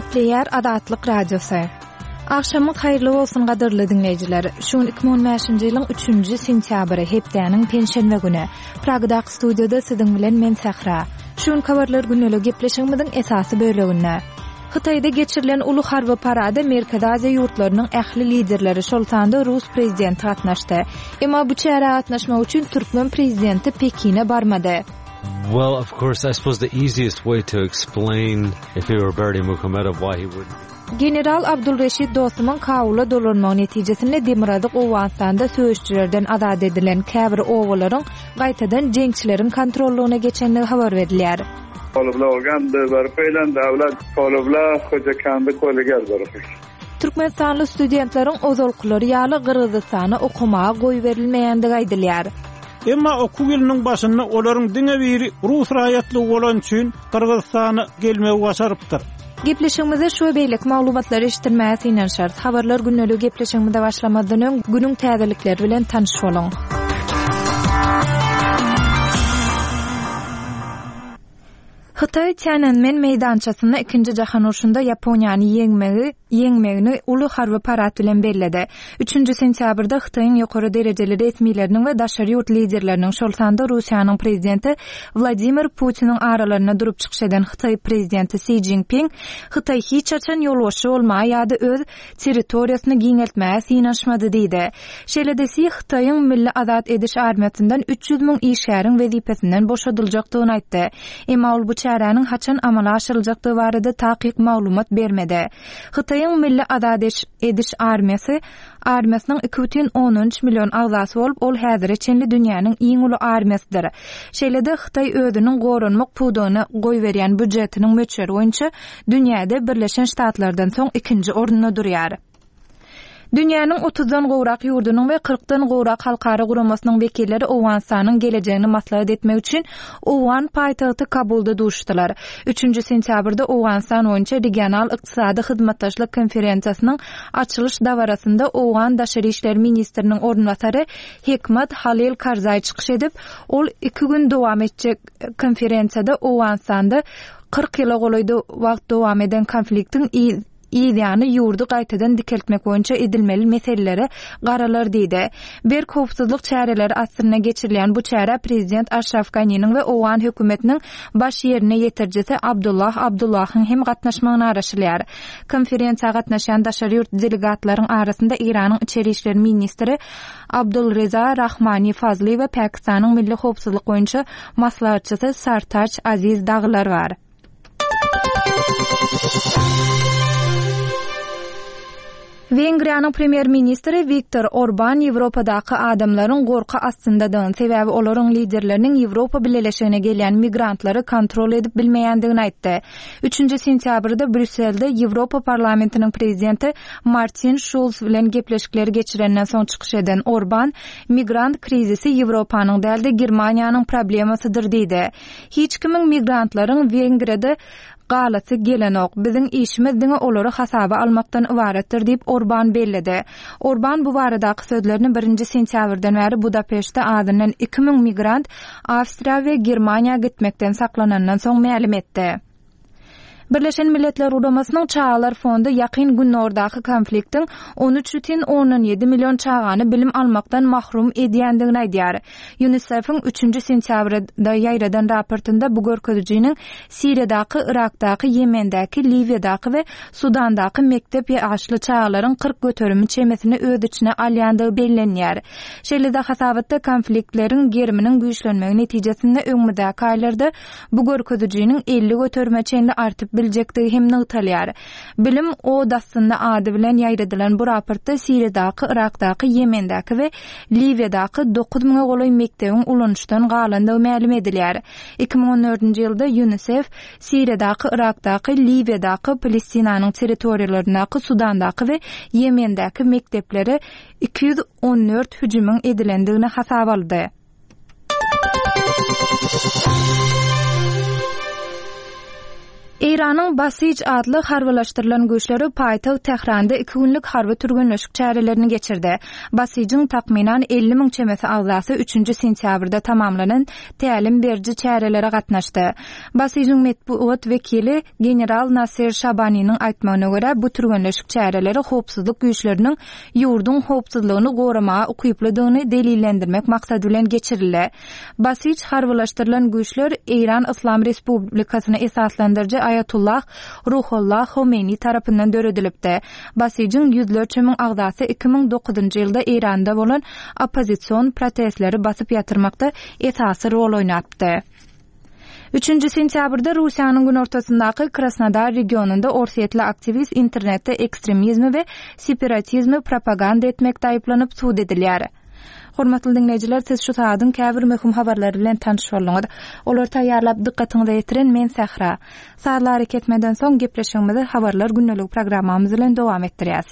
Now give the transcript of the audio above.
Gepleýär Azatlyk Radiosy. Agşamyňyz haýyrly bolsun gadyrly diňleýjiler. Şu gün 2015-nji ýylyň 3-nji sentýabry, hepdäniň penşenbe güni. Pragadaky studiýada siziň bilen men Sähra. Şu günki habarlar gündelik gepleşigimiziň esasy böleginde. Hytaýda geçirilen uly harby parada Merkezi Aziýa ýurtlarynyň ähli liderleri, şol sanda rus prezidenti gatnaşdy. Emma bu çärä gatnaşmak üçin türkmen prezidenti Pekine barmady. Well, of course, I suppose the easiest way to explain if he were Berdimuhamedow why he wouldn't General Abdul Reşit Dostumyň Kabula dolanmagy netijesinde Demirgazyk Owganystanda söweşijilerden azat edilen käbir obalaryň gaýtadan jeňçileriň kontrollygyna geçendigi habar berilýär. Türkmenistanly studentleriň ozalkylary ýaly Gyrgyzystana okamaga goýberilmeýändigi aýdylýar. Emma okuw ýylynyň başynda olaryň diňe biri rus raýatlygy bolany üçin Gyrgyzystana gelmegi başarypdyr. Gepleşigimizde şu we beýleki maglumatlary eşitdirmäge synanyşarys. Habarlar gündeligi gepleşigimize başlamazdan öň, günüň täzelikleri bilen tanyş boluň. Hytaý Tiananmen meýdançasynda Ikinji jahan urşunda Ýaponiýany ýeňmegi ýeňmegini uly harby parad bilen belledi. Üçünji sentýabrda Hytaýyň ýokary derejeli resmileriniň we daşary ýurt liderleriniň, şol sanda Russiýanyň prezidenti Wladimir Putiniň aralarynda durup çykyş eden Hytaý prezidenti Si Jinping Hytaý hiç haçan ýolbaşçy bolmaga ýa-da öz territoriýasyny giňeltmäge synanyşmady diýdi. Şeýle-de Si Hytaýyň Milli azat ediş armiýasyndan 300 müň işgäriň wezipesinden boşadyljakdygyny aýtdy. Emma ol bu çäräniň haçan amala aşyryljakdygy barada takyk maglumat bermedi. Hytaýyň Milli azat ediş armiýasy armiýasynyň 2,3 million agzasy bolup, ol häzire çenli dünýäniň iň uly armiýasydyr. Şeýle-de Hytaý özüniň goranmak pudagyna goýberýän býujetiniň möçberi boýunça dünýäde Birleşen Ştatlardan soň ikinji orunda durýar. Dünýäniň otuzdan gowrak ýurdunyň we kyrkdan gowrak halkara guramasynyň wekilleri Owganystanyň gelejegini maslahat etmek üçin owgan paýtagty Kabulda duşuşdylar. Üçünji sentýabrda Owganystan boýunça regional ykdysady hyzmatdaşlyk konferensiýasynyň açylyş dabarasynda owgan daşary işler ministriniň orunbasary Hekmat Halil Karzaý çykyş edip, ol iki gün dowam etjek konferensiýada Owganystanda 40 ýyla golaý wagt dowam eden konfliktiň yzýany ýurdy gaýtadan dikeltmek boýunça edilmeli meselelere garalar diýdi. Berk howpsuzlyk çäreleri astynda geçirilýän bu çärä prezident Aşraf Ganiniň we owgan hökümetiniň baş ýerine ýetirijisi Abdullah Abdullahyň hem gatnaşmagyna garaşylýar. Konferensiýa gatnaşýan daşary ýurt delegatlaryň arasynda Eýranyň içeri işler ministri Abdulreza Rahmani Fazli we Pakistanyň milli howpsuzlyk boýunça maslahatçysy Sartaç Aziz dagylar bar. Wengriýanyň premýer-ministri Wiktor Orban Ýewropadaky adamlaryň gorky astyndadygyny, sebäbi olaryň liderleriniň Ýewropa Bileleşigine gelýän migrantlary kontrol edip bilmeýändigini aýtdy. Üçünji sentýabrda Brýusselde Ýewropa Parlamentiniň prezidenti Martin Şulz bilen gepleşikleri geçirenden soň çykyş eden Orban, Migrant krizisi Ýewropanyň däl-de, Germaniýanyň problemasydyr diýdi. Hiç kimiň migrantlaryň Wengriýada galasy gelenok. Biziň işimiz diňe olary hasaba almakdan ybaratdyr diýip, Orban belledi. Orban bu baradaky sözlerini birinji sentýabrdan bäri Budapeştde azyndan 2000 migrant Awstriýa we Germaniýa gitmekden saklanandan soň mälim etdi. Birleşen Milletler Guramasynyň Çagalar fondy Ýakyn Gündogardaky konfliktiň 13,7 million çagany bilim almakdan mahrum edýändigini aýdýar. UNICEF-iň üçünji sentýabrda ýaýradan raportynda bu görkezijiniň Siriýadaky, Yrakdaky, Ýemendäki, Liwiýadaky we Sudandaky mekdep ýaşly çagalaryň 40 göterimi çemesini öz içine alýandygy bellenýär. Şeýle-de hasabatda konfliktleriň geriminiň güýçlenmegi netijesinde öňümizdäki aýlarda bu görkezijiniň 50 göterime çenli artyp biljekdigi hem nygtalýar. Bilim od astynda ady bilen ýaýradylan bu raportda Siriýadaky, Yrakdaky, Ýemendäki we Liwiýadaky dokuz müňe golaý mekdebiň ulanyşdan galandygy mälim edilýär. 2014-nji ýylda Ýunisef Siriýadaky, Yrakdaky, Liwiýadaky, Palestinanyň territoriýalaryndaky, Sudandaky we Ýemendäki mekdeplere 214 hüjümiň edilendigini hasaba aldy. Eýranyň Basij atly harbylaşdyrylan güýçleri paýtagt Tähranda iki günlük harby türgenleşik çärelerini geçirdi. Basijiň takmynan 50 müň çemesi agzasy üçünji sentýabrda tamamlanan tälim beriji çärelere gatnaşdy. Basijiň metbugat wekili general Nasir Şabaniniň aýtmagyna görä, bu türgenleşik çäreleri howpsuzlyk güýçleriniň ýurduň howpsuzlygyny goramaga ukyplydygyny delillendirmek maksady bilen geçirildi. Basij harbylaşdyrylan güýçler Eýran Yslam Respublikasyny esaslandyryjy Aýatullah Ruhollah Homeýni tarapyndan döredilipdi. Basijiň ýüzlerçe müň agzasy 2009-njy ýylda Eýranda bolan oppozision protestleri basyp ýatyrmakda esasy rol oýnapdy. Üçünji sentýabrda Russiýanyň günortasyndaky Krasnodar regionynda orsýetli aktiwist internetde ekstremizmi we separatizmi propaganda etmekde aýyplanyp sud edilýär. Hormatly diňleýjiler, siz şu sagadyň käbir möhüm habarlary bilen tanyş bolduňyz. Olary taýýarlap dykgatyňyza ýetiren men Sähra. Sazly arakesmeden soň gepleşigimizi Habarlar gündeligi programmamyz bilen dowam etdirýäs.